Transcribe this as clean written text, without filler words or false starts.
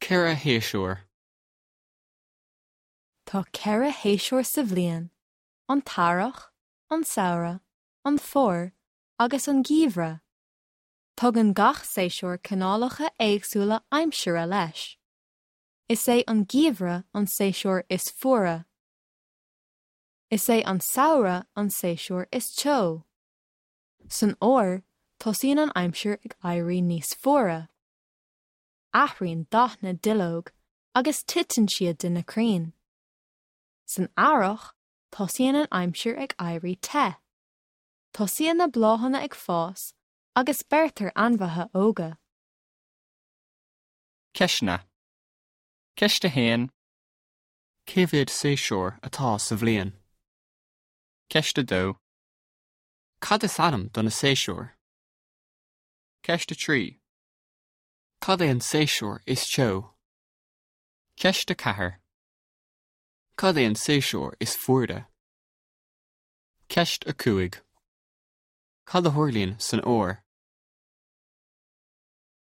Ceithre shéasúr. Tá ceithre shéasúr sa bhliain, an t-earrach, an samhradh, an fómhar agus an geimhreadh. Tugann gach séasúr cineálacha éagsúla aimsire leis. Is é an geimhreadh an séasúr is fuaire. Is é an samhradh an séasúr is teo. San fhómhar, tosaíonn an aimsir ag éirí níos fuaire. Athraíonn dath na nduilleog agus titeann siad de na crainn. San earrach, tosaíonn an aimsir ag éirí te. Tosaíonn na bláthanna ag fás agus beirtear ainmhithe óga. Ceisteanna. Ceist 1. Cé mhéad séasúr atá sa bhliain? Ceist 2. Cad is ainm do na séasúir? Ceist 3. Cad é an séasúr is teo? Ceist 4. Cad é an séasúr is fuaire? Ceist 5. Cad a tharlaíonn san fhómhar?